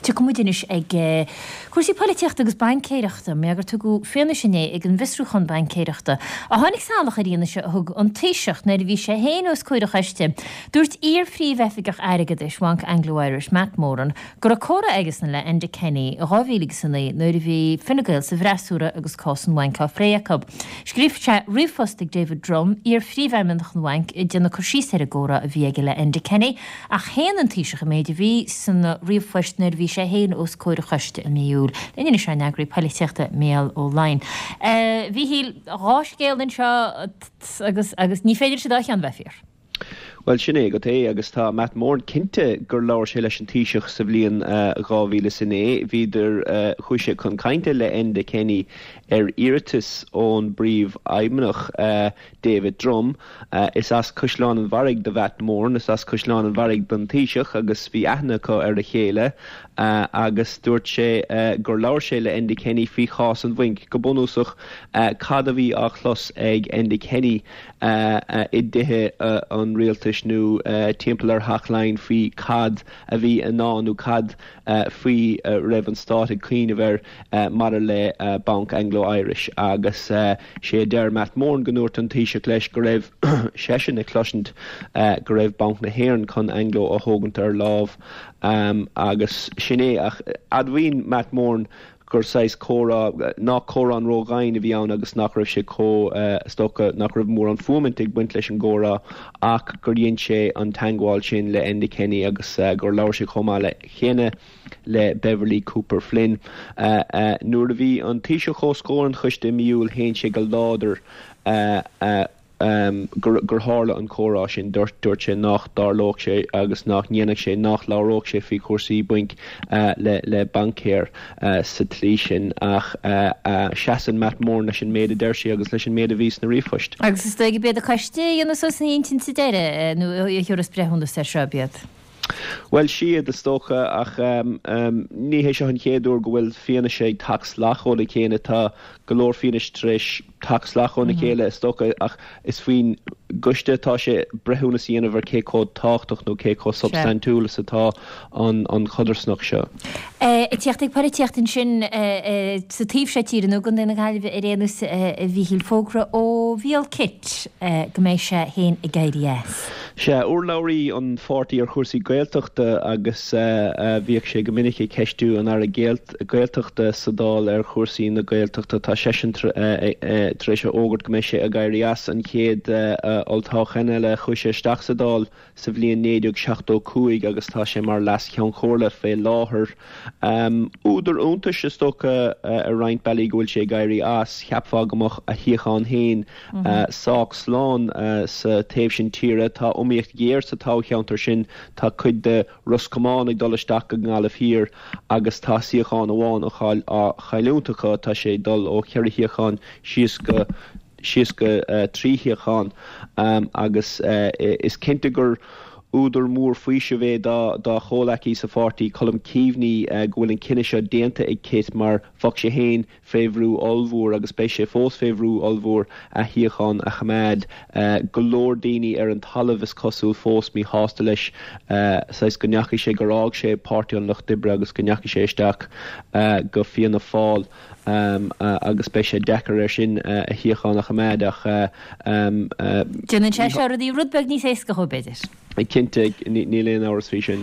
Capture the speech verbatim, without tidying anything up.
Tiocfaidh muid anois ag cúrsaí polaitíochta agus baincéireachta, mar gur tugadh fianaise inné ag an bhfiosrúchán baincéireachta a tháinig salach ar fhianaise a thug an Taoiseach nuair a bhí sé féin os comhair an choiste. Dúirt iar-phríomhoifigeach airgeadais Bhanc Anglo-Irish, Matt Moran, go raibh comhrá aigesan le Enda Kenny i dhá mhíle agus a naoi nuair a bhí Fine Gael sa bhfreasúra agus cás an bhainc á phlé acu. Scríobh sé ríomhphost ag David Drumm, iar-phríomhfheidhmeannach an bhainc, ag déanamh cur síos ar an gcomhrá a bhí aige le Enda Kenny, ach shéan an Taoiseach an méid a bhí san ríomhphost nuair a bhí sé féin os comhair an choiste i mí Iúil. Linn anois ár n-eagraí polaitíochta Mícheál Ó Laighin. A Mhíchíl, dhá scéal anseo agus agus ní féidir leis an dá cheann bheith fíor. Bhuel, sin é agat é agus tá Matt Moran cinnte gur labhair sé leis an Taoiseach sa bhliain dhá mhíle is a naoi. Bhíodar, chuaigh sé chun cainte le Enda Kenny ar iarratas ón bPríomhfheidhmeannach David Drumm. Is as Caisleán an Bharraigh do Mhatt Moran, is as Caisleán an Bharraigh don Taoiseach agus bhí aithne acu ar a chéile agus dúirt sé gur labhair sé le Enda Kenny faoi chás an bhainc. Go bunúsach, cad a bhí á chlos ag Enda Kenny i dtithe an rialtais nó timpeall ar Theach Laighean faoi cad a bhí i ndán nó cad faoi a raibh an stát ag cuimhneamh air maidir le Banc Anglo Irish agus sé a deir Matt Moran go ndúirt an Taoiseach leis go raibh seisean ag cloisint go raibh Banc na hÉireann chun Anglo a thógaint ar lámh agus sin é ach admhaíonn Matt Moran gur saghas comhrá, nach comhrá ródhomhain a bhí ann agus nach raibh sé chomh, is dócha, nach raibh mórán fuaimint ag baint leis an gcomhrá ach gur dhein sé an teagmháil sin le Enda Kenny agus gur labhair sé chomh maith le chéanna le Beverley Cooper Flynn. Nuair a bhí an Taoiseach os comhair an choiste i mí Iúil shéan sé go láidir gur tharla an comhrá sin. Dúirt sé nach dtarlódh sé agus nach ndéanfadh sé, nach labhródh sé faoi chúrsaí bainc le baincéir sa tslí sin ach seasann Matt Moran leis an méid a deir sé agus leis an méid a bhí sna ríomhphoist. Agus is dóigh gurb iad an coiste a dhéanfas suas a intinn sa deireadh nó a thabharfas breithiúnas air seo, ab iad? Bhuel, siad, is dócha, ach ní hé seo an chéad uair go bhfuil fianaise ag teacht salach óna chéile. Tá go leor fianaise tar éis teacht salach óna chéile, is dócha, ach is faoin gcoiste atá sé breithiúnas a dhéanamh ar cé chomh tábhachtach nó cé chomh substaintiúil is atá an chodarsnacht seo. Ag tíocht ag polaitíocht ansin sa taobh seo tíre, nó i gContae na Gaillimhe ar aon nós, a Mhíchíl, fógra ó Mhícheál Kitt go mbeidh sé féin ag éirí as. Sea, urlabhraí an pháirtí ar chúrsaí Gaeltachta agus bhíodh sé go minic ag ceistiú an Aire Gaeltachta sa Dáil ar chúrsaí na Gaeltachta. Tá seisean tar éis a fhógairt go mbeidh sé ag éirí as an chéad olltoghchán eile. Chuaigh sé isteach sa Dáil sa bhliain naoi déag seachtó cúig agus tá sé mar Leas-Cheann Comhairle fé láthair. Údar iontais is dócha ar roinnt bealaí go bhfuil sé ag éirí as. Cheapfá go mbeadh a shuíochán féin sách slán sa taobh sin tíre. Tá iomaíocht ghéar sa toghcheantar sin, tá cuid de Ros Comáin ag dul isteach go Gaillimh Thiar agus tá suíochán amháin á chailliúint acu, tá sé ag dul ó cheithre shuíochán síos go síos go trí shuíochán agus is cinnte gur údar mór faoisimh é dá chomhleacaí sa pháirtí, Colm Keaveney, go bhfuil an cinneadh seo déanta ag Kitt mar bheadh sé féin fé bhrú ollmhór agus beidh sé fós fé bhrú ollmhór a shuíochán a choimeád. Go leor daoine ar an talamh is cosúil fós míshásta leis, saghas go ndeachaigh sé, gur fhág sé Páirtí an Lucht Oibre agus go ndeachaigh sé isteach go Fianna Fáil agus beidh sé deacair air sin a shuíochán a choimeád ach. Déanann sé seo rudaí rud beag níos éasca dhó b'fhéidir. Cinnte, níl aon amhras faoi sin.